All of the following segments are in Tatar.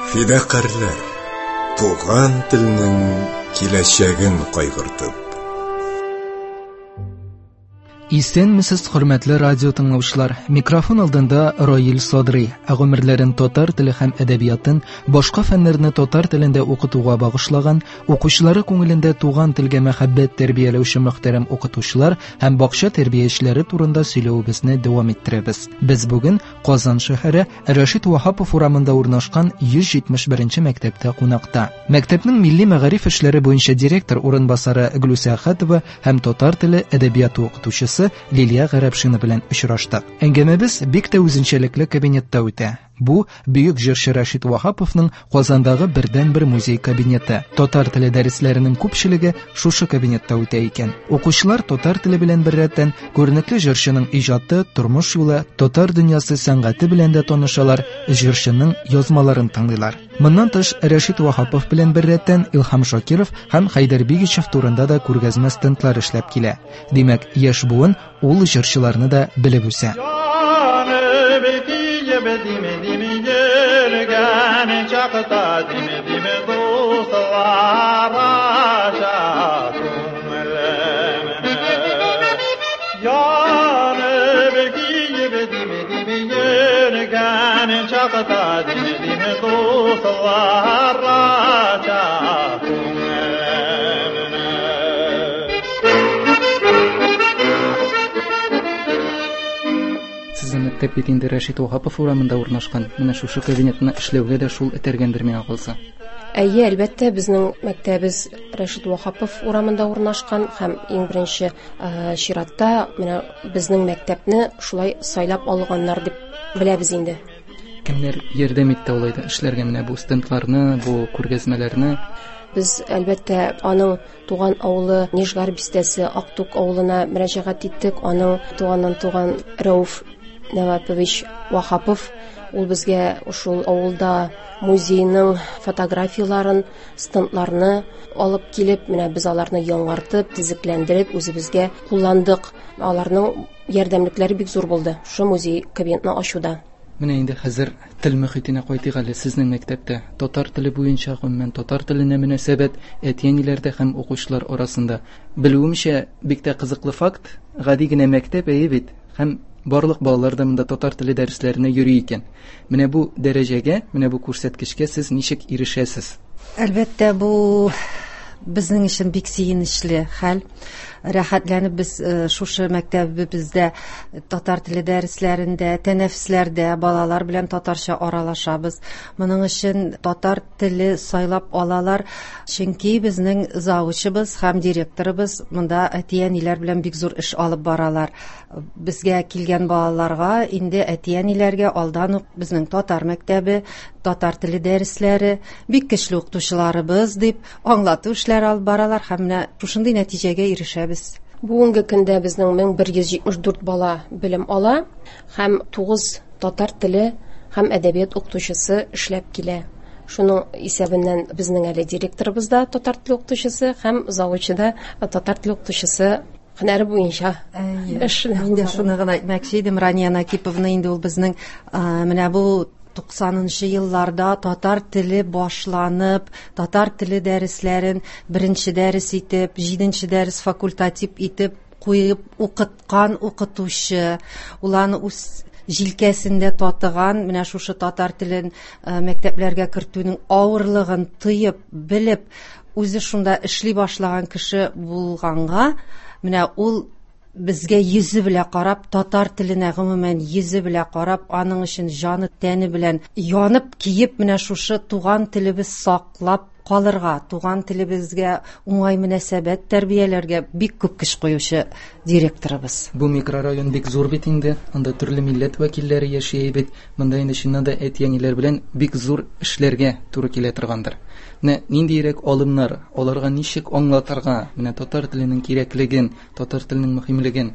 Фидакарьләр, туган телнең киләчәген кайгыртып. Исәнмесез, хөрмәтле радио тыңлаучылар. Микрофон алдында Раил Садрый. Ә гомерләрен татар теле һәм әдәбиятын, башка фәннәрне татар телендә укытуга багышлаган, укучылары күңелендә туган телгә мәхәббәт тәрбияләүче мөхтәрәм укытучылар һәм бакча тәрбиячеләре турында сөйләвебезне дәвам иттерәбез. Без бүген Казан шәһәре Рәшит Ваһапов урамында урнашкан 171 мәктәптә кунакта. Мәктәпнең милли мәгариф эшләре буенча директор урынбасары Глүсә Әхәтова һәм татар теле әдәбияты укытучысы Лилия Гарәпшина белән очраштык. Әңгәмәбез бик тә үзенчәлекле кабинетта үтә. Бу бөек җырчы Рәшит Ваһаповның Казандагы бердәнбер музей кабинеты. Татар теле дәресләренең күпчелеге шушы кабинетта үтә икән. Укучылар татар теле белән беррәттән күренекле җырчының иҗаты, тормыш юлы, татар дөньясы сәнгате белән дә танышалар, җырчының язмаларын тыңлыйлар. Моннан тыш, Рәшит Ваһапов белән беррәттән Илһам Шакиров һәм Хәйдәр Бигичев турында да күргәзмә стендлар эшләп килә. Димәк, яшь буын ул җырчыларны да белеп үсә. Сезнең мәктәп бит инде Рәшит Ваһапов урамында урнашкан. Менә шушы кабинетны эшләүгә дә шул этәргәндер миңа калса. Әйе, әлбәттә, безнең мәктәбебез Рәшит Ваһапов урамында урнашкан һәм иң беренче чиратта менә безнең мәктәпне шулай сайлап алганнар дип беләбез инде. Кемнәр ярдәм итте алай да эшләргә менә бу стендларны, бу күргәзмәләрне? Без, әлбәттә, аның туган авылы Нижгар бистәсе Актук авылына мөрәҗәгать иттек. Аның туганнан туган Рәүф Нәвапович Вахапов ул безгә шул авылда музейның фотографияләрен, стендларны алып килеп, менә без аларны яңартып, төзекләндереп үзебезгә кулландык. Аларның ярдәмлекләре бик зур булды шушы музей кабинетны ачуда. Менә инде хәзер тел мөхитенә кайтыйк әле. Сезнең мәктәптә татар теле буенча, гомумән, татар теленә мөнәсәбәт әти-әниләрдә һәм укучылар арасында. Белүемчә, бик тә кызыклы факт, гади генә мәктәп әйе бит, һәм барлык балалар да монда татар теле дәресләренә йөри икән. Менә бу дәрәҗәгә, менә бу күрсәткечкә сез ничек ирешәсез? Әлбәттә, бу безнең өчен бик сөенечле хәл. Рәхәтләнеп без шушы мәктәбебездә татар теле дәресләрендә, тәнәфесләрдә балалар белән татарча аралашабыз. Моның өчен татар теле сайлап алалар, чөнки безнең завучыбыз һәм директорыбыз монда әти-әниләр белән бик зур эш алып баралар. Безгә килгән балаларга инде әти-әниләргә алдан ук безнең татар мәктәбе, татар теле дәресләре, бик көчле укытучыларыбыз дип аңлату эшләре алып баралар һәм менә шушындый нәтиҗәгә ирешәбез. Бүгенге көндә безнең 1174 бала белем ала һәм 9 татар теле һәм әдәбият укытучысы эшләп килә. Шуның исәбеннән безнең әле директорыбыз да татар теле укытучысы һәм завучы да татар теле укытучысы һөнәре буенча эш. Мин дә шуны гына әйтмәкче идем, Рания Накиповна инде ул безнең менә бу 90-нчы елларда татар теле башланып, татар теле дәресләрен беренче дәрес итеп, җиденче дәрес факультатив итеп куеп укыткан укытучы, ул аны үз җилкәсендә татыган, менә шушы татар телен мәктәпләргә кертүнең авырлыгын тоеп, белеп, үзе шунда эшли башлаган кеше булганга, менә ул безгә йөзе белән карап, татар теленә гомумән йөзе белән карап, аның өчен җаны тәне белән янып киеп, менә шушы туган телебез саклап калырга, туган телебезгә уңай мөнәсәбәт тәрбияләргә бик күп көч куючы директорыбыз. Бу микрорайон бик зур бит инде, анда төрле милләт вәкилләре яши бит. Монда инде чыннан да әти-әниләр белән бик зур эшләргә туры килә торгандыр. Менә ниндиерәк алымнар, аларга ничек аңлатырга, менә татар теленең кирәклеген, татар теленең мөһимлеген?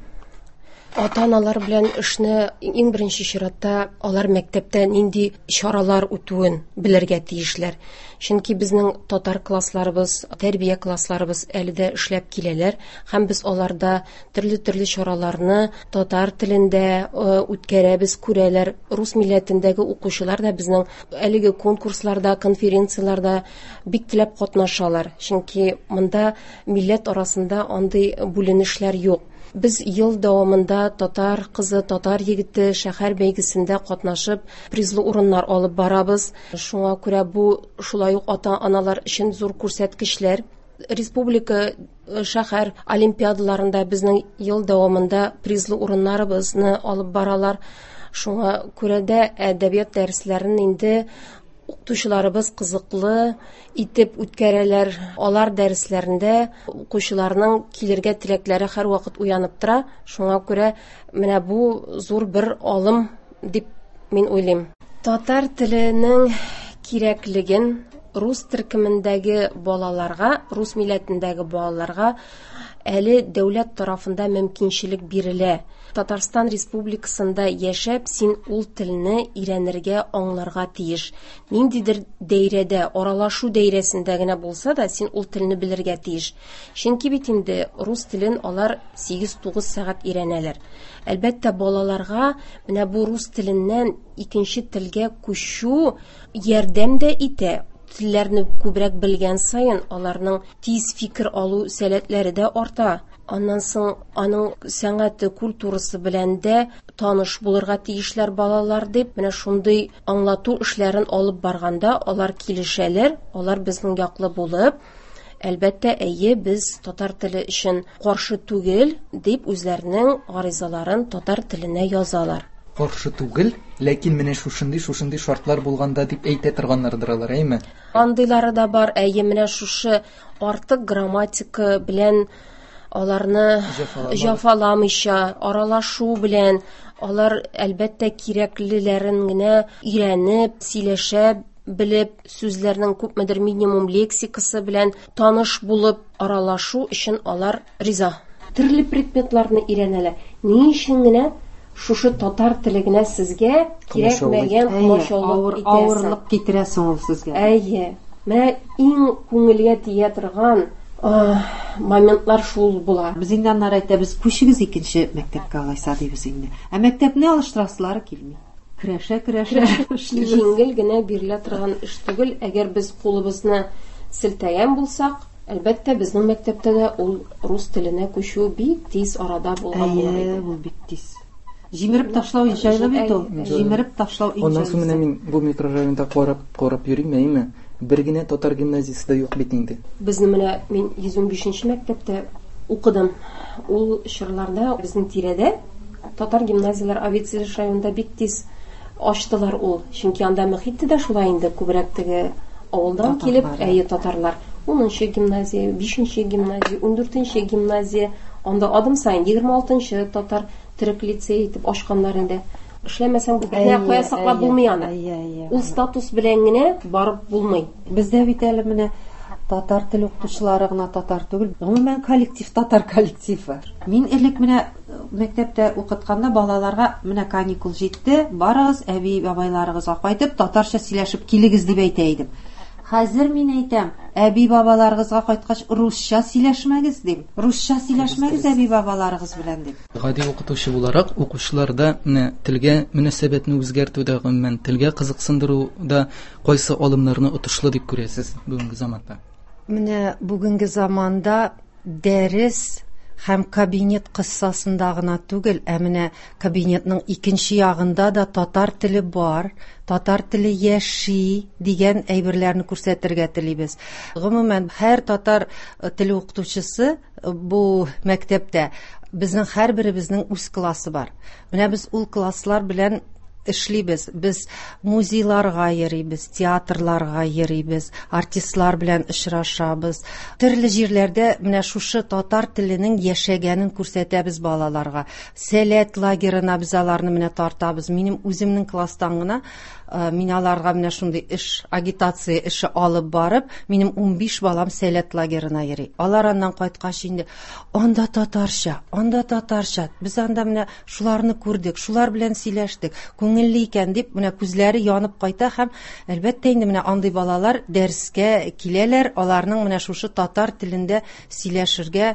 Ата-аналар белән эшне иң беренче чиратта алар мәктәптә нинди чаралар үтүен белергә тиешләр. Чөнки безнең татар классларыбыз, тәрбия классларыбыз әле дә эшләп киләләр һәм без аларда төрле-төрле чараларны татар телендә үткәрәбез, күрәләр. Рус милләтендәге укучылар да безнең әлеге конкурсларда, конференцияләрдә бик теләп катнашалар. Чөнки монда милләт арасында андый бүленешләр юк. Без ел дәвамында татар кызы, татар егете шәһәр бәйгесендә катнашып, призлы урыннар алып барабыз. Шуңа күрә бу шулай ук ата-аналар өчен зур күрсәткечләр. Республика шәһәр олимпиадаларында безнең ел дәвамында призлы урыннарыбызны алып баралар. Шуңа күрә дә әдәбият дәресләрен инде укытучыларыбыз кызыклы итеп үткәрәләр. Алар дәресләрендә укучыларның килергә теләкләре һәрвакыт уянып тора. Шуңа күрә менә бу зур бер алым дип мин уйлыйм. Татар теленең кирәклеген рус төркемендәге балаларга, рус милләтендәге балаларга әле дәүләт тарафында мөмкинчелек бирелә. Татарстан Республикасында яшәп, син ул телне өйрәнергә, аңларга тиеш. Ниндидер дәйрәдә, аралашу дәйрәсендә генә булса да, син ул телне белергә тиеш. Чөнки бит инде рус телен алар 8-9 сәгать өйрәнәләр. Әлбәттә, балаларга менә бу рус теленнән икенче телгә күчү ярдәм дә итә. Телләрне күбрәк белгән саен аларның тиз фикер алу сәләтләре дә арта. Аннан соң аның сәнгате, культурасы белән дә таныш булырга тиешләр балалар дип, менә шундый аңлату эшләрен алып барганда алар килешәләр, алар безнең яклы булып, әлбәттә, әйе, без татар теле өчен каршы түгел дип үзләренең гаризаларын татар теленә язалар. Каршы түгел, ләкин менә шушындый шушындый шартлар булганда дип әйтә торганнардыр алар, әйме? Андыйлары да бар, әйе, менә шушы артык грамматика белән аларны җафаламыйча, аралашу белән алар әлбәттә кирәклеләрен генә өйрәнеп, сөйләшә белеп, сүзләрнең күпмедер минимум лексикасы белән таныш булып аралашу өчен алар риза. Төрле предметларны өйрәнәләр. Ни өчен генә шушы татар теле генә сезгә кирәкмәгән комачаулык итәсең? Авырлык китерә соң ул сезгә. Әйе. Менә иң күңелгә тия торган моментлар шул була. Без инде аннары әйтәбез, күчегез икенче мәктәпкә алайса дибез инде. Ә мәктәпне алыштырасылары килми. Көрәшә-көрәшә эшлибез. Җиңел генә бирелә торган эш түгел. Әгәр без кулыбызны селтәгән булсак, әлбәттә, безнең мәктәптә дә ул рус теленә күчү бик тиз арада булган булыр иде. Әйе, ул бик тиз. Җимереп ташлау иң җайлы бит ул. Җимереп ташлау иң Аннан соң менә мин бу микрорайонда карап, карап йөрим, әйеме? Бер генә татар гимназиясе дә юк бит инде. Безне менә мин 115 мәктәптә укыдым. Ул чорларда безнең тирәдә татар гимназияләр Авицелеш районында бик тиз ачтылар ул. Чөнки анда мөхит дә шулай инде, күбрәк теге авылдан килеп, әйе, татарлар. 10нчы гимназия, 5нче гимназия, 14нче гимназия, анда адым саен 26нчы татар төрек лицей итеп ачканнар инде. Эшләмәсәң, бернә кая саклап булмый аны. Ул статус белән генә барып булмый. Бездә бит әле менә татар теле укытучылары гына татар түгел, гомумән коллектив татар коллективы. Мин элек менә мәктәптә укытканда балаларга менә каникул җитте, барыгыз әби бабайларыгызга кайтып татарча сөйләшеп килегез дип әйтә идем. Хәзер мин әйтәм, әби бабаларыгызга кайткач русча сөйләшмәгез дим. Русча сөйләшмәгез әби бабаларыгыз белән дип. Гади укытучы буларак укучыларда менә телгә мөнәсәбәтне үзгәртүдә, гомумән телгә кызыксындыруда кайсы алымнарны отышлы дип күрәсез бүгенге заманда? Менә бүгенге заманда дәрес һәм кабинет кыссасында гына түгел, ә менә кабинетның икенче ягында да татар теле бар, татар теле яши дигән әйберләрне күрсәтергә телибез. Гомумән, һәр татар теле укытучысы бу мәктәптә безнең һәрберебезнең үз классы бар. Менә без ул класслар белән эшлибез. Без музейларга йөрибез, театрларга йөрибез, артистлар белән очрашабыз. Төрле җирләрдә менә шушы татар теленең яшәгәнен күрсәтәбез балаларга. Сәләт лагерына без аларны менә тартабыз. Минем үземнең класстан гына мин аларга менә шундый эш, агитация эше алып барып, минем 15 балам Сәләт лагерына йөри. Алар аннан кайткач инде анда татарча, анда татарча. Без анда менә шуларны күрдек, шулар белән сөйләштек. Күңелле икән дип, менә күзләре янып кайта һәм әлбәттә инде менә андый балалар дәрескә киләләр, аларның менә шушы татар телендә сөйләшергә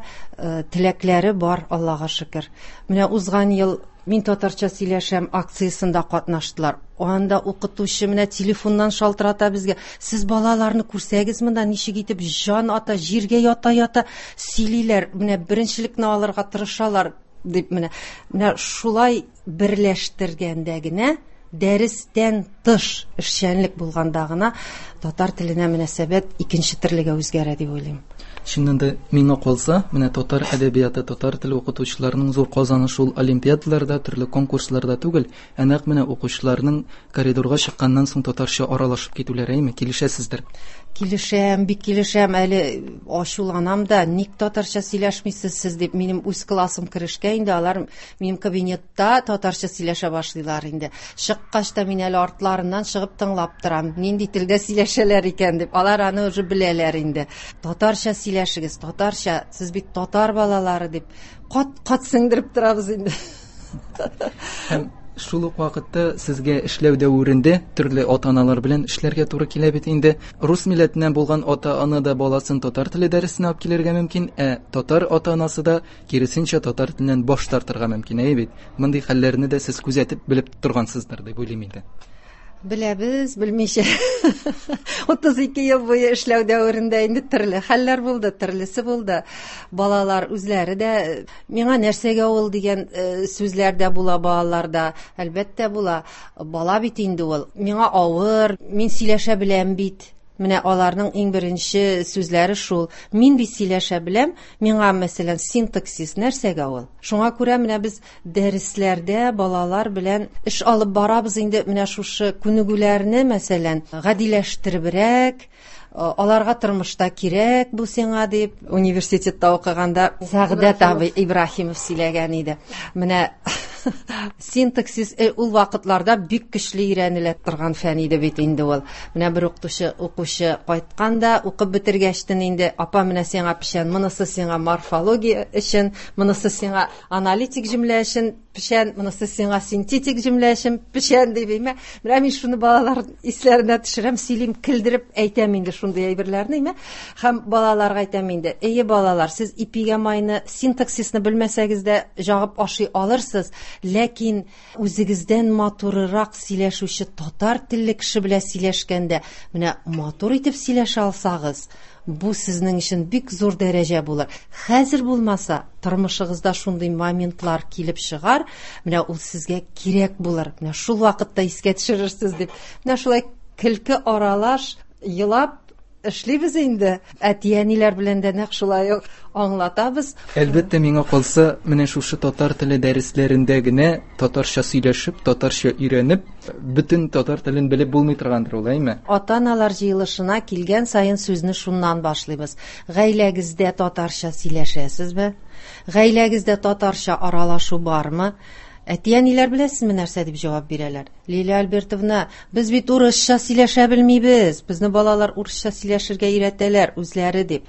теләкләре бар, Аллага шөкер. Менә узган ел Мин татарча сөйләшәм акциясендә катнаштылар. Анда укытучы менә телефоннан шалтырата безгә. Сез балаларны күрсәгез монда ничек итеп җан ата, җиргә ята-ята сөйлиләр. Менә беренчелекне алырга тырышалар дип менә. Менә шулай берләштергәндә генә дәрестән тыш эшчәнлек булганда гына татар теленә мөнәсәбәт икенче төрлегә үзгәрә дип уйлыйм. Чыннан да, миңа калса, менә татар әдәбияты, татар теле укытучыларының зур казанышы ул олимпиадаларда, төрле конкурсларда түгел, ә нәкъ менә укучыларның коридорга чыкканнан соң татарча аралашып китүләре, әйме, килешәсездер? Килешәм, бик килешәм. Әле ачуланам да, ник татарча сөйләшмисез сез дип, минем үз классым керешкә инде алар минем кабинетта татарча сөйләшә башлыйлар инде. Чыккач та мин әле артларыннан чыгып тыңлап торам, нинди телдә сөйләшәләр икән дип. Алар аны уже беләләр инде. Татарча сөйләшегез, татарча, сез бит татар балалары дип кат-кат сеңдереп торабыз инде. Һәм шул ук вакытта сезгә эшләү дәверендә төрле ата-аналар белән эшләргә туры килә бит инде. Рус милләтеннән булган ата-ана да баласын татар теле дәресенә алып килергә мөмкин, ә татар ата-анасы да киресенчә татар теленнән баш тартырга мөмкин, әйе бит? Мондый хәлләрне дә сез күзәтеп белеп торгансыздыр дип уйлыйм инде. Беләбез, белмичә. 32 ел буе эшләү дәверендә инде төрле хәлләр булды, төрлесе булды. Балалар үзләре дә миңа нәрсәгә ул дигән сүзләр дә була балаларда. Әлбәттә була. Бала бит инде ул. Миңа авыр, мин сөйләшә беләм бит. Менә аларның иң беренче сүзләре шул. Мин бит сөйләшә беләм, миңа, мәсәлән, синтаксис нәрсәгә ул? Шуңа күрә менә без дәресләрдә балалар белән эш алып барабыз инде менә шушы күнегүләрне, мәсәлән, гадиләштеребрәк, аларга тормышта кирәк бу сиңа дип, университетта укыганда Сәгъдәт абый Ибраһимов сөйләгән иде. Менә синтаксис ул вакытларда бик көчле өйрәнелә торган фән иде бит инде ул. Менә бер укытучы, укучы кайткан да, укып бетергәчтен инде, апа, менә сиңа печән, монысы сиңа морфология өчен, монысы сиңа аналитик җөмлә өчен печән, монысы сиңа синтетик җөмлә өчен печән дип, әйме. Менә мин шуны балалар исләренә төшерәм, сөйлим, көлдереп әйтәм инде шундый әйберләрне, әйме. Һәм балаларга әйтәм инде, әйе, балалар, сез ипигә майны, синтаксисны белмәсәгез дә җагып ашый алырсыз, ләкин үзегездән матурырак сөйләшүче татар телле кеше белән сөйләшкәндә, менә матур итеп сөйләшә алсагыз, бу сезнең өчен бик зур дәрәҗә булыр. Хәзер булмаса, тормышыгызда шундый моментлар килеп чыгар, менә ул сезгә кирәк булыр. Менә шул вакытта искә төшерерсез дип. Менә шулай көлке аралаш елап эшлибез инде. Әти-әниләр белән дә нәкъ шулай ук аңлатабыз. Әлбәттә, миңа калса, менә шушы татар теле дәресләрендә генә татарча сөйләшеп, татарча өйрәнеп, бөтен татар телен белеп булмый торгандыр ул, әйме? Ата-аналар җыелышына килгән саен сүзне шуннан башлыйбыз. Гаиләгездә татарча сөйләшәсезме? Гаиләгездә татарча аралашу бармы? Әти-әниләр беләсезме нәрсә дип җавап бирәләр? Лилия Альбертовна, без бит урысча сөйләшә белмибез. Безне балалар урысча сөйләшергә өйрәтәләр үзләре дип.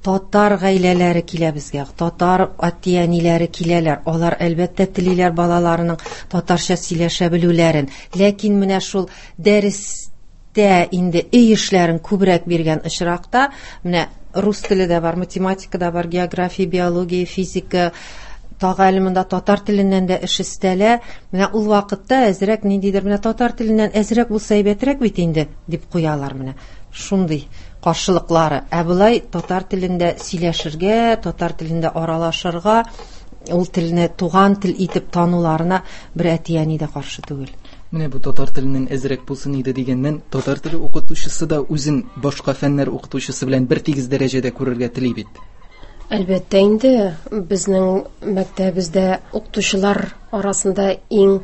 Татар гаиләләре килә безгә, татар әти-әниләре киләләр. Алар әлбәттә телиләр балаларының татарча сөйләшә белүләрен. Ләкин менә шул дәрестә инде өй эшләрен күбрәк биргән очракта, менә рус теле дә бар, математика да бар, география, биология, физика, тагы әле монда татар теленнән дә эш өстәлә. Менә ул вакытта әзрәк ниндидер менә татар теленнән әзрәк булса әйбәтрәк бит инде дип куялар менә. Шундый каршылыклары. Ә болай татар телендә сөйләшергә, татар телендә аралашырга, ул телне туган тел итеп тануларына бер әти-әни дә каршы түгел. Менә бу татар теленнән әзрәк булсын иде дигәннән, татар теле укытучысы да үзен башка фәннәр укытучысы белән бер тигез дәрәҗәдә күрергә тели бит. Әлбәттә инде, безнең мәктәбебездә укытучылар арасында иң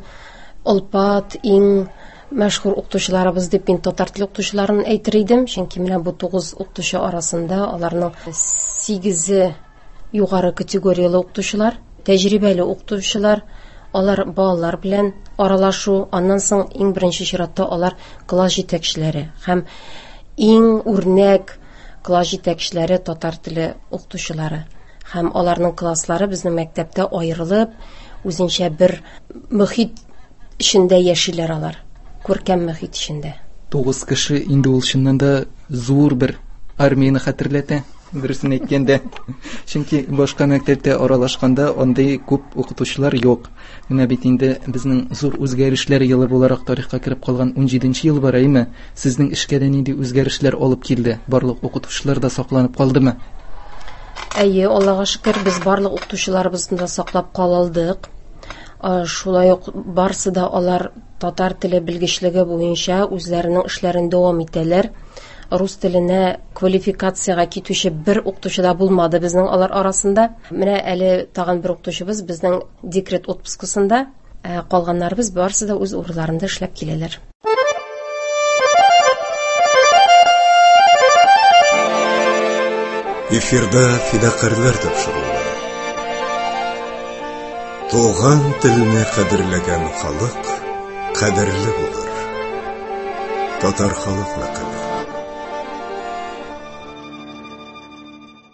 олпат, иң мәшһүр укытучыларыбыз дип мин татар теле укытучыларын әйтер идем, чөнки менә бу 9 укытучы арасында аларның 8-е югары категорияле укытучылар, тәҗрибәле укытучылар, алар балалар белән аралашу, аннан соң иң беренче чиратта алар класс җитәкчеләре һәм иң үрнәк класс җитәкчеләре татар теле укытучылары. Һәм аларның класслары безнең мәктәптә аерылып, үзенчә бер мөхит эчендә яшиләр алар, күркәм мөхит эчендә. 9 кеше инде ул чыннан да зур бер армияне хәтерләтә, дөресен әйткәндә. Чөнки башка мәктәптә аралашканда андый күп укытучылар юк. Менә бит инде безнең зур үзгәрешләр елы буларак тарихка кереп калган 17 ел бар, әйме? Сезнең эшкә дә нинди үзгәрешләр алып килде? Барлык укытучылар да сакланып калдымы? Әйе, Аллага шөкер, без барлык укытучыларыбызны да саклап кала алдык. Шулай ук барысы да алар татар теле белгечлеге буенча үзләренең эшләрен дәвам итәләр. Рус теленә квалификациягә китүче бер укытучы да булмады безнең алар арасында. Менә әле тагын бер укытучыбыз безнең декрет отпускасында, калганнарыбыз барысы да үз урыннарында эшләп киләләр. Эфирда фидакарьләр тапшыруы. Туган телне кадерләгән халык кадерле булыр. Татар халык мәкале.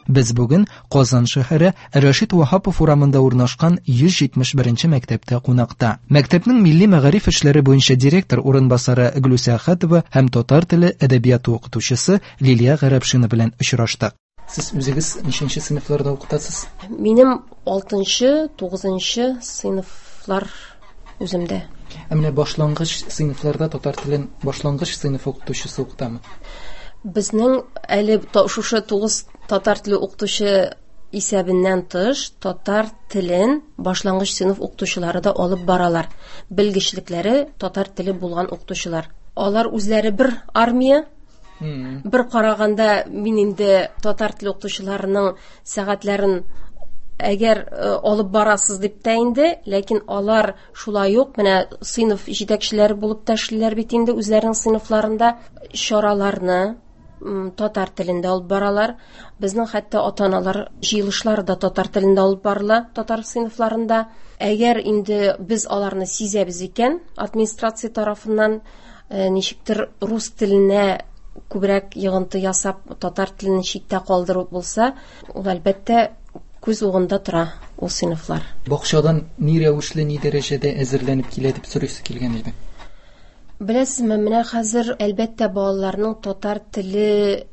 Без бүген Казан шәһәре Рәшит Ваһапов урамында урнашкан 171 мәктәптә кунакта. Мәктәпнең милли мәгариф эшләре буенча директор урынбасары Гөлүсә Әхәтова һәм татар теле әдәбияты укытучысы Лилия Гарәпшина белән очраштык. Сез үзегез ничәнче сыйныфларда укытасыз? Минем 6-нчы, 9-нчы сыйныфлар үземдә. Ә менә башлангыч сыйныфларда татар телен башлангыч сыйныф укытучысы укытамы? Безнең әле шушы 9 татар теле укытучы исәбеннән тыш татар телен башлангыч сыйныф укытучылары да алып баралар. Белгечлекләре татар теле булган укытучылар. Алар үзләре бер армия. Бер караганда мин инде татар теле укытучыларының сәгатьләрен әгәр алып барасыз дип тә инде, ләкин алар шулай ук менә сыйныф җитәкчеләре булып та эшлиләр бит инде үзләренең сыйныфларында чараларны татар телендә алып баралар. Безнең хәтта ата-аналар җыелышлары да татар телендә алып барыла татар сыйныфларында. Әгәр инде без аларны сизәбез икән, администрация тарафыннан ничектер рус теленә күбрәк йогынты ясап, татар телен читтә калдыру булса, ул әлбәттә күз угында тора ул сыйныфлар. Бакчадан ни рәвешле, ни дәрәҗәдә әзерләнеп килә дип сорыйсы килгән иде. Беләсезме, менә хәзер әлбәттә балаларның татар теле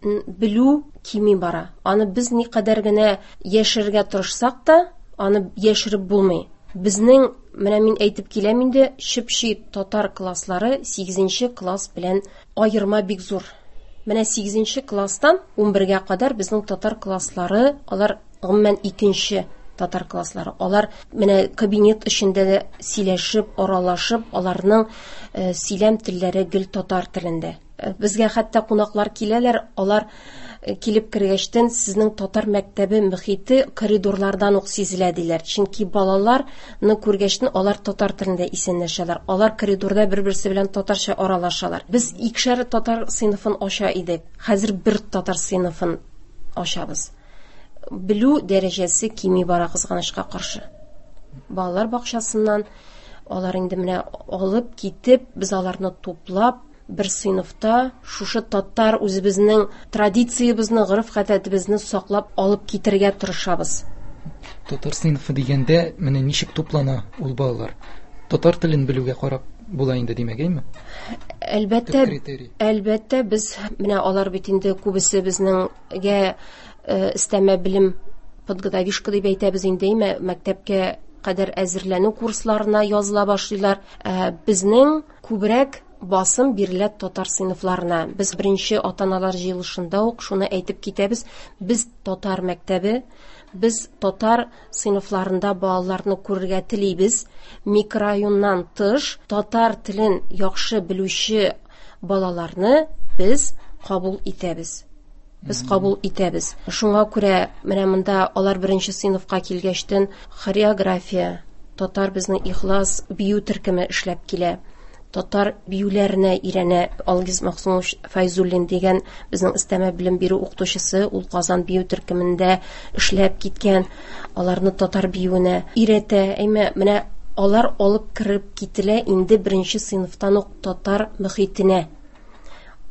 белү кими бара. Аны без никадәр генә яшерергә тырышсак та, аны яшереп булмый. Безнең, менә мин әйтеп киләм инде, чып-чи татар класслары 8 класс белән аерма бик зур. Менә 8 класстан 11-гә кадәр безнең татар класслары, алар гомумән икенче татар класслары. Алар менә кабинет эчендә дә сөйләшеп, аралашып, аларның сөйләм телләре гел татар телендә. Безгә хәтта кунаклар киләләр, алар килеп кергәчтен сезнең татар мәктәбе мөхите коридорлардан ук сизелә диләр. Чөнки балаларны күргәчтен алар татар телендә исәнләшәләр. Алар коридорда бер-берсе белән татарча аралашалар. Без икешәр татар сыйныфын ача идек. Хәзер бер татар сыйныфын ачабыз. Белү дәрәҗәсе кими бара кызганычка каршы. Балалар бакчасыннан алар инде менә алып китеп, без аларны туплап, бер сыйныфта шушы татар үзебезнең традициябезне, гореф-гадәтебезне саклап алып китергә тырышабыз. Татар сыйныфы дигәндә менә ничек туплана ул балалар? Татар телен белүгә карап була инде, димәк, әйме? Әлбәттә, Төп критерий. әлбәттә, без менә алар бит инде күбесе безнеңгә өстәмә белем подготовишка дип әйтәбез инде, әйме, мәктәпкә кадәр әзерләнү курсларына языла башлыйлар. Безнең күбрәк басым бирелә татар сыйныфларына. Без беренче ата-аналар җыелышында ук шуны әйтеп китәбез. Без татар мәктәбе, без татар сыйныфларында балаларны күрергә телибез. Микрорайоннан тыш татар телен яхшы белүче балаларны без кабул итәбез. Без кабул итәбез. Шуңа күрә менә монда алар беренче сыйныфка килгәчтен хореография, Татар безнең Ихлас бию төркеме эшләп килә. Татар биюләренә өйрәнә Алгиз Максумович Файзуллин дигән безнең өстәмә белем бирү укытучысы, ул Казан бию төркемендә эшләп киткән, аларны татар биюенә өйрәтә. Әмма менә алар алып кереп кителә инде беренче сыйныфтан ук татар мөхитенә.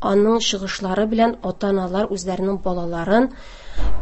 Аның чыгышлары белән ата-аналар үзләренең балаларын,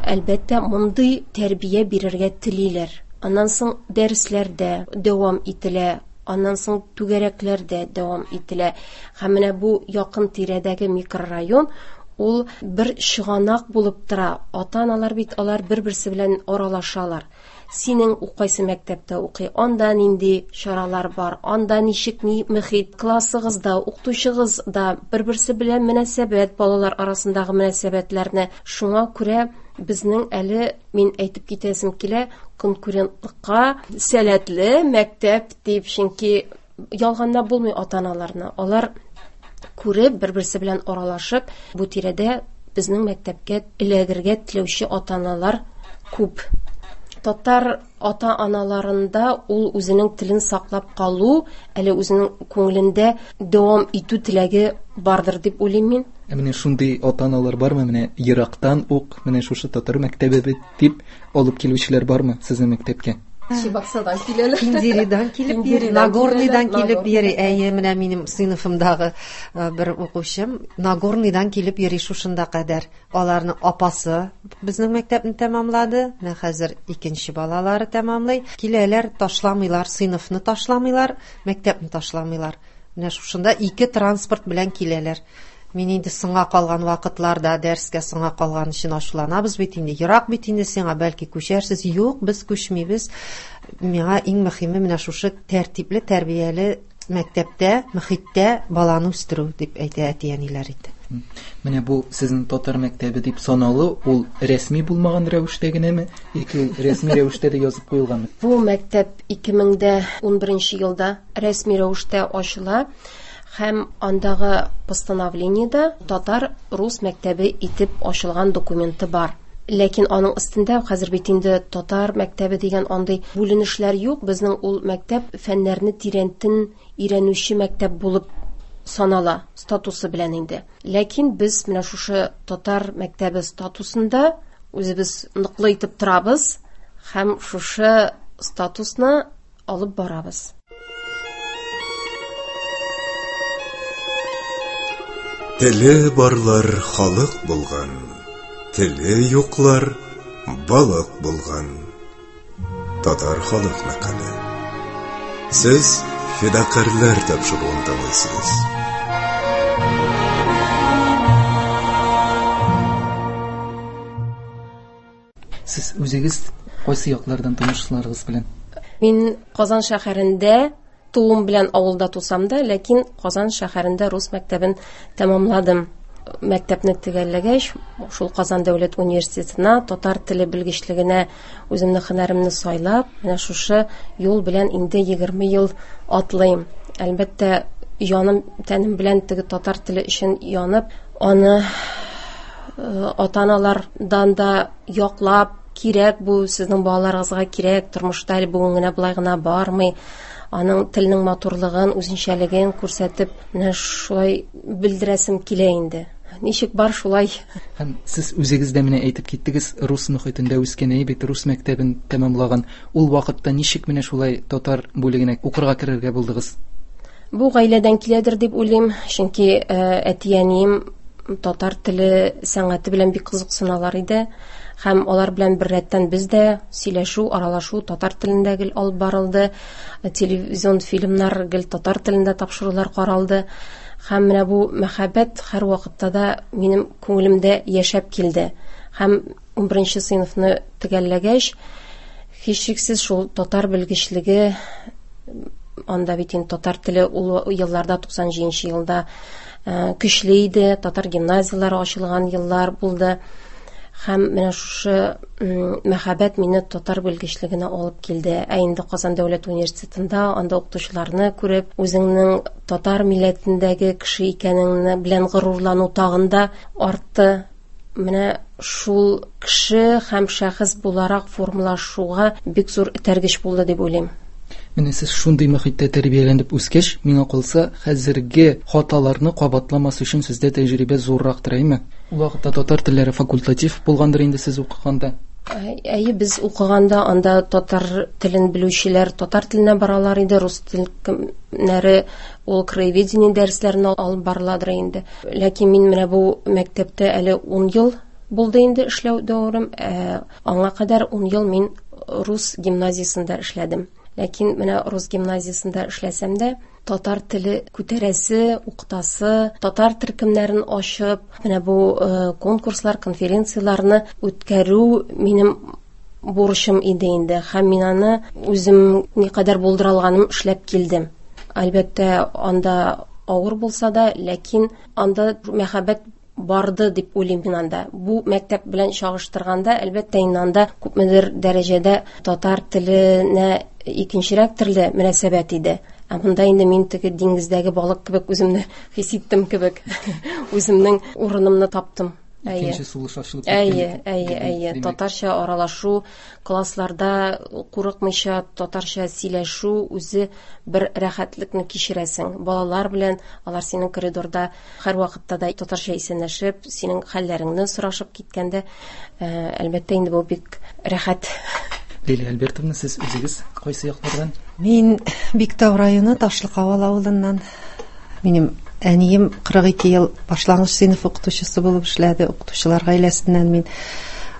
әлбәттә, мондый тәрбия бирергә телиләр. Аннан соң дәресләрдә дәвам ителә, аннан соң түгәрәкләрдә дәвам ителә. Һәм менә бу якын тирәдәге микрорайон ул бер чыганак булып тора. Ата-аналар бит алар бер-берсе белән аралашалар. Синең кайсы мәктәптә укый, анда нинди чаралар бар, анда ничек ни мөхит, классыгызда, укытучыгыз да бер-берсе белән мөнәсәбәт, балалар арасындагы мөнәсәбәтләрне. Шуңа күрә безнең әле, мин әйтеп китәсем килә, конкурентлыкка сәләтле мәктәп дип, чөнки ялганлап булмый ата-аналарны. Алар күреп, бер-берсе белән аралашып, бу тирәдә безнең мәктәпкә эләгергә теләүче ата-аналар күп. Татар ата-аналарында ул үзенең телен саклап калу, әле үзенең күңелендә дәвам итү теләге бардыр дип уйлыйм мин. Ә менә шундый ата-аналар бармы, менә ерактан ук менә шушы татар мәктәбе бит дип алып килүчеләр бармы сезнең мәктәпкә? Чебоксардан киләләр. Киндеридан килеп йөри, Нагорныйдан килеп йөри. Әйе, менә минем сыйныфымдагы бер укучым Нагорныйдан килеп йөри шушында кадәр. Аларның апасы безнең мәктәпне тәмамлады. Менә хәзер икенче балалары тәмамлый. Киләләр, ташламыйлар, сыйныфны ташламыйлар, мәктәпне ташламыйлар. Менә шушында ике транспорт белән киләләр. Мин инде соңга калган вакытларда дәрескә соңга калган өчен ачуланабыз бит инде. Ерак бит инде сиңа, бәлки күчәрсез. Юк, без күчмибез. Миңа иң мөһиме менә шушы тәртипле, тәрбияле мәктәптә, мөхиттә баланы үстерү дип әйтә әти-әниләр инде. Менә бу сезнең татар мәктәбе дип саналу, ул рәсми булмаган рәвештә генәме, яки ул рәсми рәвештә дә язып куелганмы? Бу мәктәп 2011 елда рәсми рәвештә ачыла һәм андагы постановлениедә татар-рус мәктәбе итеп ачылган документы бар. Ләкин аның өстендә хәзер бит инде татар мәктәбе дигән андый бүленешләр юк. Безнең ул мәктәп фәннәрне тирәнтен өйрәнүче мәктәп булып санала статусы белән инде. Ләкин без менә шушы татар мәктәбе статусында үзебез ныклы итеп торабыз һәм шушы статусны алып барабыз. Теле барлар халык булган, теле юклар балык булган. Татар халык мәкале. Сез фидакарьләр тапшыруын тыңлыйсыз. Сез үзегез кайсы яклардан танышларыгыз белән? Мин Казан шәһәрендә туым белән авылда тусам да, ләкин Казан шәһәрендә рус мәктәбен тәмамладым. Мәктәпне төгәлләгәч, шул Казан дәүләт университетына татар теле белгечлегенә үземнең һөнәремне сайлап, менә шушы юл белән инде 20 ел атлыйм. Әлбәттә, җаным, тәнем белән теге татар теле өчен янып, аны ата-аналардан да яклап, кирәк бу, сезнең балаларыгызга кирәк, тормышта әле бүген генә болай гына бармый. Аның телнең матурлыгын, үзенчәлеген күрсәтеп, менә шулай белдерәсем килә инде. Ничек бар шулай. Һәм сез үзегез дә менә әйтеп киттегез, рус мөхитендә үскән, әйе бит, рус мәктәбен тәмамлаган. Ул вакытта ничек менә шулай татар бүлегенә укырга керергә булдыгыз? Бу гаиләдән киләдер дип уйлыйм, чөнки әти-әнием татар теле сәнгате белән бик кызыксыналар иде. Һәм алар белән бер рәттән без дә сөйләшү, аралашу татар телендә гел алып барылды. Телевизион фильмнар гел татар телендә тапшырулар каралды. Һәм менә бу мәхәббәт һәр вакытта да минем күңелемдә яшәп килде. Һәм 11 сыйныфны төгәлләгәч, һичшиксез шул татар белгечлеге, анда бит инде татар теле ул елларда, 97 елда көчле иде, татар гимназияләре ачылган еллар булды. Һәм менә шушы мәхәббәт мине татар белгечлегенә алып килде. Ә инде Казан дәүләт университетында анда укытучыларны күреп, үзеңнең татар милләтендәге кеше икәнеңне белән горурлану тагын да артты. Менә шул кеше һәм шәхес буларак формалашуга бик зур этәргеч булды дип уйлыйм. Менә сез шундый мөхиттә тәрбияләнеп үскәч, миңа калса, хәзерге хаталарны кабатламас өчен сездә тәҗрибә зуррактыр, әйме? Ул вакытта татар телләре факультатив булгандыр инде сез укыганда. Әйе, без укыганда анда татар телен белүчеләр татар теленә баралар иде, рус телнәре ул краеведение дәресләрен алып барыладыр инде. Ләкин мин менә бу мәктәптә әле 10 ел булды инде эшләү дәверем. Ә, аңа кадәр 10 ел мин рус гимназиясендә эшләдем. Ләкин менә рус гимназиясендә эшләсәм дә, татар теле күтәрәсе, укытасы, татар төркемнәрен ачып, менә бу конкурслар, конференцияләрне үткәрү минем бурычым иде инде. Һәм мин аны үзем никадәр булдыра алганым эшләп килдем. Әлбәттә, анда авыр булса да, ләкин анда мәхәббәт барды дип уйлыйм мин анда. Бу мәктәп белән чагыштырганда, әлбәттә, инде анда күпмедер дәрәҗәдә татар теленә икенчерәк төрле мөнәсәбәт иде. Ә монда инде мин теге диңгездәге балык кебек үземне хис иттем кебек. Үземнең урынымны таптым. Әйе. Икенче сулыш ачылып киткән. Әйе, әйе, әйе. Татарча аралашу, классларда курыкмыйча татарча сөйләшү үзе бер рәхәтлекне кичерәсең. Балалар белән алар синең коридорда һәрвакытта да татарча исәнләшеп, синең хәлләреңне сорашып киткәндә, әлбәттә инде бу бик рәхәт. Лилия Альбертовна, сез үзегез кайсы яклардан? Мин Биктау районы Ташлыкавал авылыннан. Минем әнием 42 ел башлангыч сыйныф укытучысы булып эшләде. Укытучылар гаиләсеннән мин.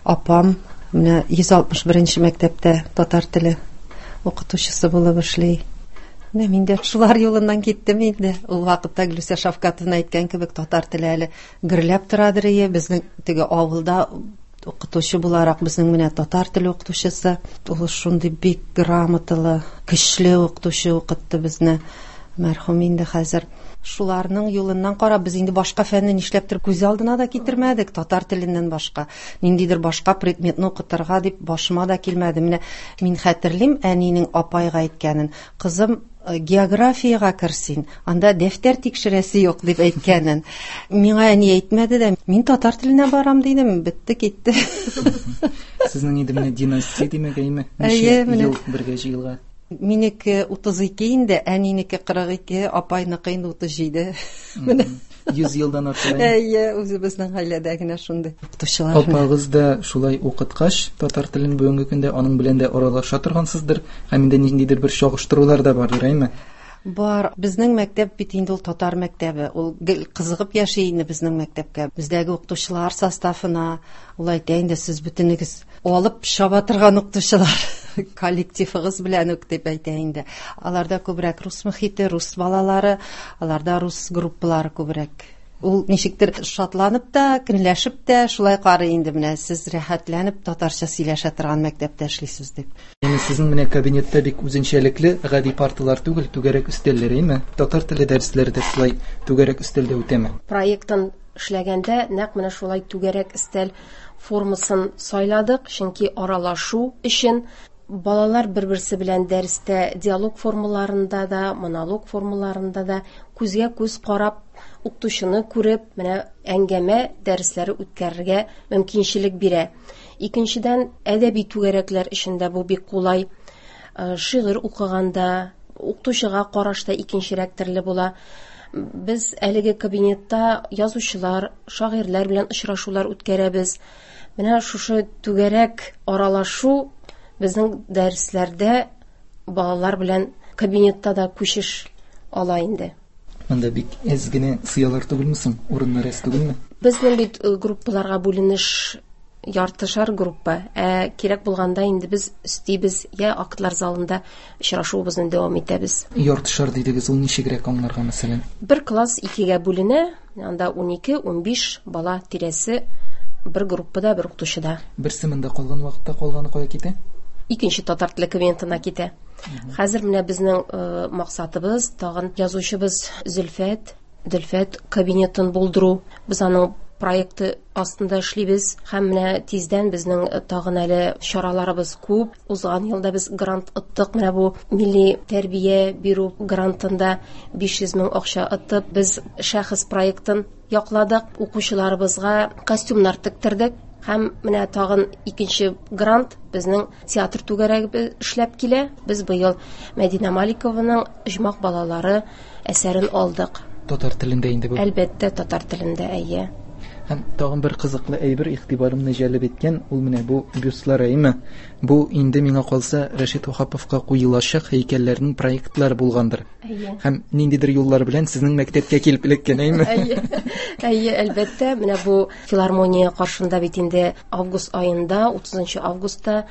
Апам менә 161 мәктәптә татар теле укытучысы булып эшли. Менә мин дә шулар юлыннан киттем инде. Ул вакытта Гөлүсә Шавкатовна әйткән кебек татар теле әле гөрләп торадыр ие. Безнең теге авылда укытучы буларак безнең менә татар теле укытучысы, ул шундый бик грамоталы, көчле укытучы укытты безне. Мәрхүм инде хәзер. Шуларның юлыннан карап, без инде башка фәнне нишләптер күз алдына да китермәдек, татар теленнән башка. Ниндидер башка предметны укытырга дип башыма да килмәде. Менә мин хәтерлим әнинең апайга әйткәнен. Кызым, географиягә кер син, анда дәфтәр тикшерәсе юк дип әйткәнен. Миңа әни әйтмәде дә, мин татар теленә барам дидем, бетте китте. Сезнең инде менә династия димәк, әйме? Ничә ел бергә җыелган? Минеке 32 инде, әнинеке 42, апайныкы инде 37. Менә 100 елдан артык. Әйе, үзебезнең гаиләдә генә шундый укытучылар. Апагыз да шулай укыткач, татар телен бүгенге көндә аның белән дә аралаша торгансыздыр, һәм инде ниндидер бер чагыштырулар да бардыр, әйме? Бар. Безнең мәктәп бит инде ул татар мәктәбе. Ул гел кызыгып яши инде безнең мәктәпкә. Бездәге укытучылар составына ул әйтә инде, сез бөтенегез алып чаба торган укытучылар коллективыгыз белән үк дип әйтә инде. Аларда күбрәк рус мөхите, рус балалары, аларда рус группалары күбрәк. Ул ничектер шатланып та, көнләшеп тә шулай карый инде, менә сез рәхәтләнеп татарча сөйләшә торган мәктәптә эшлисез дип. Яни сезнең менә кабинетта бик үзенчәлекле гади парталар түгел, түгәрәк өстәлләр, әйме? Татар теле дәресләре дә шулай түгәрәк өстәлдә үтәме? Проектын эшләгәндә нәкъ менә шулай түгәрәк өстәл формасын сайладык, чөнки аралашу өчен балалар бер-берсе белән дәрестә диалог формаларында да, монолог формаларында да күзгә күз карап, укытучыны күреп, менә әңгәмә дәресләре үткәрергә мөмкинчелек бирә. Икенчедән, әдәби түгәрәкләр өчен дә бу бик кулай. Шигырь укыганда, укытучыга караш та икенчерәк төрле була. Без әлеге кабинетта язучылар, шагыйрьләр белән очрашулар үткәрәбез. Менә шушы түгәрәк аралашу безнең дәресләрдә балалар белән кабинетта да күчеш ала инде. Монда бик әз генә сыялар түгелме соң? Урыннар әз түгелме? Безнең бит группаларга бүленеш яртышар группа. Ә кирәк булганда инде без өстибез, я актлар залында очрашуыбызны дәвам итәбез. Яртышар дидегез, ул ничегрәк аңларга мәсәлән? Бер класс икегә бүленә, анда 12-15 бала тирәсе бер группада, бер укытучыда. Берсе монда калган вакытта калганы кая китә? Икенче татар теле кабинетына китә. Хәзер менә безнең максатыбыз тагын язучыбыз Зөлфәт, Дөлфәт кабинетын булдыру. Без аның проекты астында эшлибез һәм менә тиздән безнең тагын әле чараларыбыз күп. Узган елда без грант оттык, менә бу милли тәрбия бирү грантында 500 мең акча оттык. Без шәхес проектын якладык, укучыларыбызга костюмнар тектердек. Һәм менә тагын икенче грант, Безнең театр түгәрәге эшләп килә. Без быел Мәдинә Маликованың Оҗмах балалары әсәрен алдык. Татар телендә инде бу. Әлбәттә, татар телендә, әйе. Һәм тагын бер кызыклы әйбер игътибарымны җәлеп иткән, ул менә бу бюстлар, әйеме? Бу инде миңа калса Рәшит Ваһаповка куелачак һәйкәлләрнең проектлары булгандыр. Әйе. Һәм ниндидер юллар белән сезнең мәктәпкә килеп эләккән, әйеме? Әйе. Әйе, әлбәттә, менә бу филармония каршында бит инде август аенда, 30 августта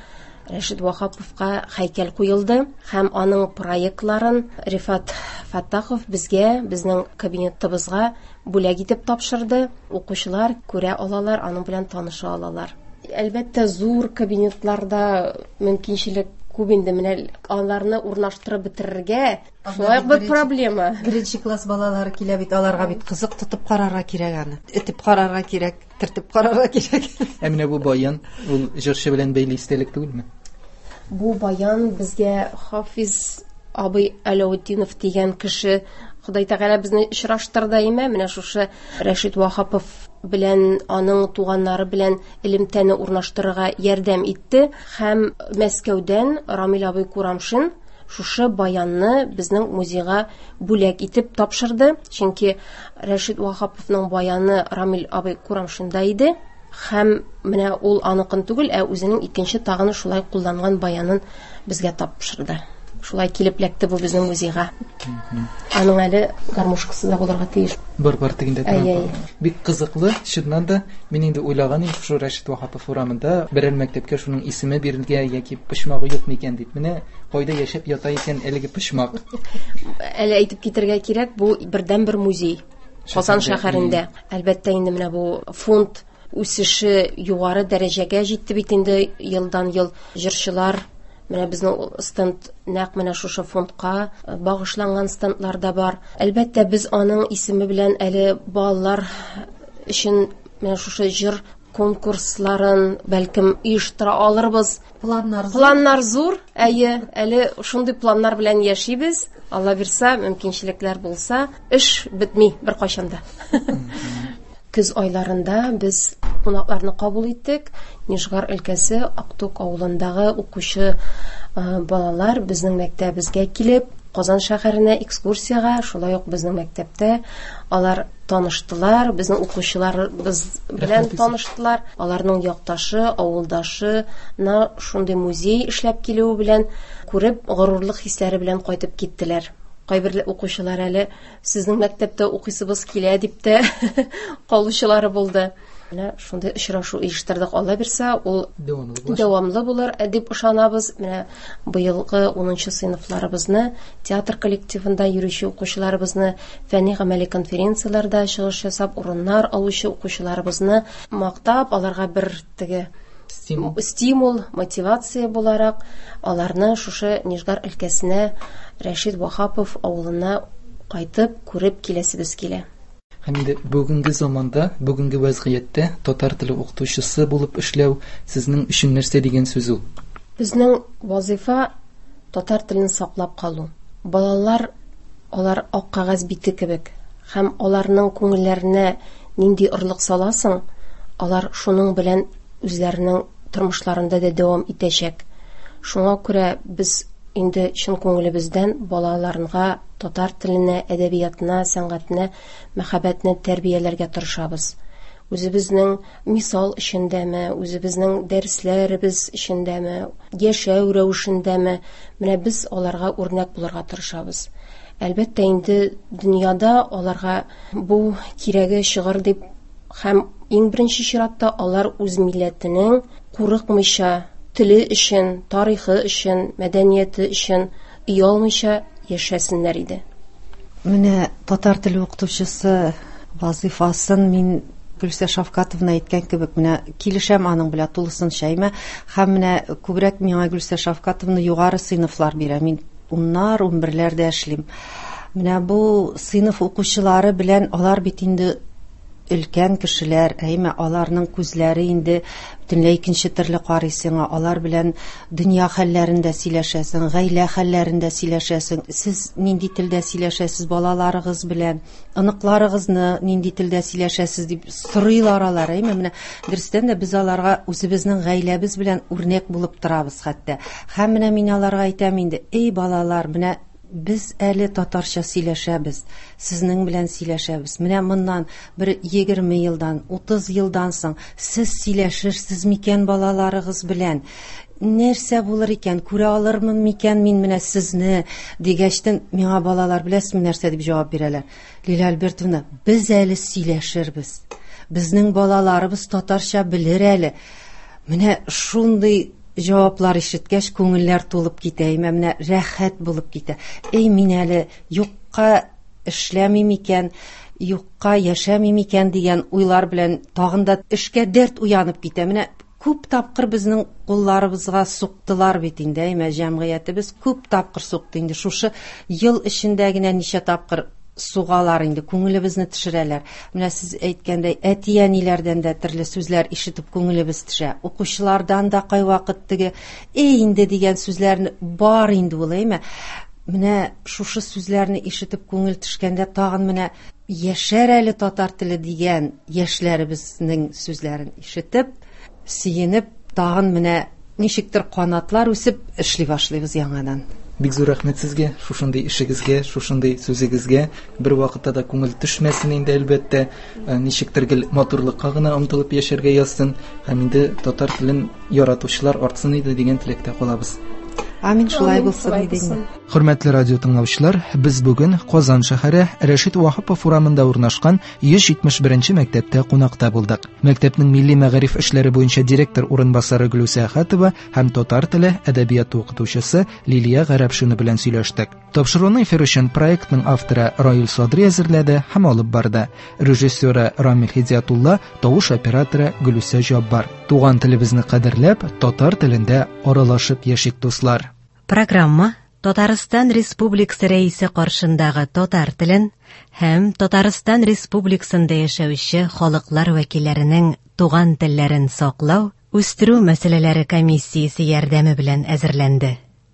Рәшит Ваһаповка һәйкәл куелды һәм аның проектларын Рифат Фаттахов безгә, безнең кабинетыбызга бүләк итеп тапшырды. Укучылар күрә алалар, аның белән таныша алалар. Әлбәттә, зур кабинетларда мөмкинчелек күп инде, менә аларны урнаштырып бетерергә шулай ук бер проблема. Беренче класс балалары килә бит, аларга бит кызык тотып карарга кирәк аны. Этеп карарга кирәк, төртеп карарга кирәк. Ә менә бу баян, ул җырчы белән бәйле истәлек түгелме? Бу баян безгә Хафиз абый Аләүтдинов дигән кеше, Ходай Тәгалә безне очраштырды, әйме? Менә шушы Рәшит Ваһапов белән аның туганнары белән элемтәне урнаштырырга ярдәм итте. Һәм Мәскәүдән Рамил абый Курамшин шушы баянны безнең музейга бүләк итеп тапшырды. Чөнки Рәшит Ваһаповның баяны Рамил абый Курамшинда иде. Һәм менә ул аныкын түгел, ә үзенең икенче тагын шулай кулланган баянын безгә тапшырды. Шулай килеп эләкте бу безнең музейга. Аның әле гармошкасы да булырга тиеш. Бар, бар тегендә тора. Әй, әй. Бик кызыклы, чыннан да, мин инде уйлаган идем, шушы Рәшит Ваһапов урамында берәр мәктәпкә шуның исеме бирелгән яки почмагы юк микән дип. Менә кайда яшәп ята икән әлеге почмак. Әле әйтеп китәргә кирәк, бу бердәнбер музей. Казан Шәһәрдә, шәһәрендә. Әлбәттә, инде менә бу фонд үсеше югары дәрәҗәгә җитте бит инде, елдан-ел җырчылар, менә безнең стенд нәкъ менә шушы фондка багышланган стендлар да бар. Әлбәттә, без аның исеме белән әле балалар өчен менә шушы җыр конкурсларын бәлкем оештыра алырбыз. Планнар зур. Планнар зур, әйе, әле шундый планнар белән яшибез. Алла бирсә, мөмкинчелекләр булса, эш бетми беркайчан да. Көз айларында без кунакларны кабул иттек. Нижгар өлкәсе Актук авылындагы укучы балалар безнең мәктәбебезгә килеп, Казан шәһәренә экскурсиягә, шулай ук безнең мәктәптә алар таныштылар, безнең укучыларыбыз белән Рәхмәт, Исә. таныштылар. Аларның якташы, авылдашына шундый музей эшләп килүе белән күреп, горурлык хисләре белән кайтып киттеләр. Кайбер укучылар әле сезнең мәктәптә укыйсыбыз килә дип тә калучылары булды. Менә шундый очрашу оештырдык. Алла бирсә, ул Дәвамлы булачак. дәвамлы булыр дип ышанабыз. Менә быелгы 10 сыйныфларыбызны, театр коллективында йөрүче укучыларыбызны, фәнни гамәли конференцияләрдә чыгыш ясап, урыннар алучы укучыларыбызны мактап, аларга бер теге стимул, стимул, мотивация буларак аларны шушы Нижгар өлкәсенә, Рәшит Ваһапов авылына кайтып, күреп киләсебез килә. Һәм инде бүгенге заманда, бүгенге вәзгыятьтә татар теле укытучысы булып эшләү сезнең өчен нәрсә дигән сүз ул? Безнең вазифа татар телен саклап калу. Балалар, алар ак кәгазь бите кебек. Һәм аларның күңелләренә нинди орлык саласың, алар шуның белән үзләренең тормышларында да дәвам итәчәк. Шуңа күрә без инде чын күңелебездән балаларга татар теленә, әдәбиятына, сәнгатенә мәхәббәтне тәрбияләргә тырышабыз. Үзебезнең мисал эчендәме, үзебезнең дәресләребез эчендәме, яшәү рәвешендәме, менә без аларга үрнәк булырга тырышабыз. Әлбәттә, инде дөньяда аларга бу кирәге чыгыр дип һәм иң беренче чиратта алар үз милләтенең курыкмыйча, теле өчен, тарихы өчен, мәдәнияте өчен оялмыйча яшәсеннәр иде. Менә татар теле укытучысы вазифасын мин Гөлсә Шавкатовна әйткән кебек, менә килешәм аның белән тулысынча, әйме? Һәм менә күбрәк миңа Гөлсә Шавкатовна югары сыйныфлар бирә. Мин уннар, унберләрдә эшлим. Менә бу сыйныф укучылары белән алар бит инде өлкән кешеләр, әйме, аларның күзләре инде бөтенләй икенче төрле карый сиңа. Алар белән дөнья хәлләрендә сөйләшәсең, гаилә хәлләрендә сөйләшәсең. Сез нинди телдә сөйләшәсез балаларыгыз белән, оныкларыгызны нинди телдә сөйләшәсез дип сорыйлар алар, әйме. Менә дөрестән дә без аларга үзебезнең гаиләбез белән үрнәк булып торабыз хәтта. Һәм менә мин аларга әйтәм инде: "Эй балалар, менә без әле татарча сөйләшәбез, сезнең белән сөйләшәбез. Менә моннан бер 20 елдан, 30 елдан соң сез сөйләшерсез микән балаларыгыз белән? Нәрсә булыр икән, күрә алырмын микән мин менә сезне?" дигәчтен, миңа балалар беләсезме нәрсә дип җавап бирәләр? Лилия Альбертовна, без әле сөйләшербез. Безнең балаларыбыз татарча белер әле. Менә шундый җаваплар ишеткәч, күңелләр тулып китә, әйме, менә рәхәт булып китә. Эй, мин әле юкка эшләмим икән, юкка яшәмим икән дигән уйлар белән тагын да эшкә дәрт уянып китә. Менә күп тапкыр безнең кулларыбызга суктылар бит инде, әйме, җәмгыятебез күп тапкыр сукты инде. Шушы ел эчендә генә ничә тапкыр сугалар инде, күңелебезне төшерәләр. Менә сез әйткәндәй, әти-әниләрдән дә төрле сүзләр ишетеп күңелебез төшә. Укучылардан да кайвакыт теге «эй инде» дигән сүзләрне бар инде ул, әйме? Менә шушы сүзләрне ишетеп күңел төшкәндә тагын менә яшәр әле татар теле дигән яшьләребезнең сүзләрен ишетеп, сөенеп, тагын менә ничектер канатлар үсеп эшли башлыйбыз яңадан. Бик зур рәхмәт сезгә, шушындый эшегезгә, шушындый сүзегезгә. Бер вакытта да күңел төшмәсен инде, әлбәттә. Ничектер гел матурлыкка гына омтылып яшәргә язсын һәм инде татар телен яратучылар артсын иде дигән теләктә калабыз. Амин, шулай булсын иде инде. Хөрмәтле радио тыңлаучылар, без бүген Казан шәһәре Рәшит Ваһапов урамында урнашкан 171 мәктәптә кунакта булдык. Мәктәпнең милли мәгариф эшләре буенча директор урынбасары Гөлүсә Әхәтова һәм татар теле, әдәбияты укытучысы Лилия Гарәпшина белән сөйләштек. Тапшыруны эфир өчен проектның авторы Раил Садри әзерләде һәм алып барды. Режиссеры Рамил Хидиятулла, тавыш операторы Гөлүсә Җаббар. Туган телебезне кадерләп, татар телендә аралашып яшик, дуслар. Программа Татарстан Республикасы Рәисе каршындагы татар телен һәм Татарстан Республикасында яшәүче халыклар вәкилләренең туган телләрен саклау, үстерү мәсьәләләре комиссиясе ярдәме белән әзерләнде.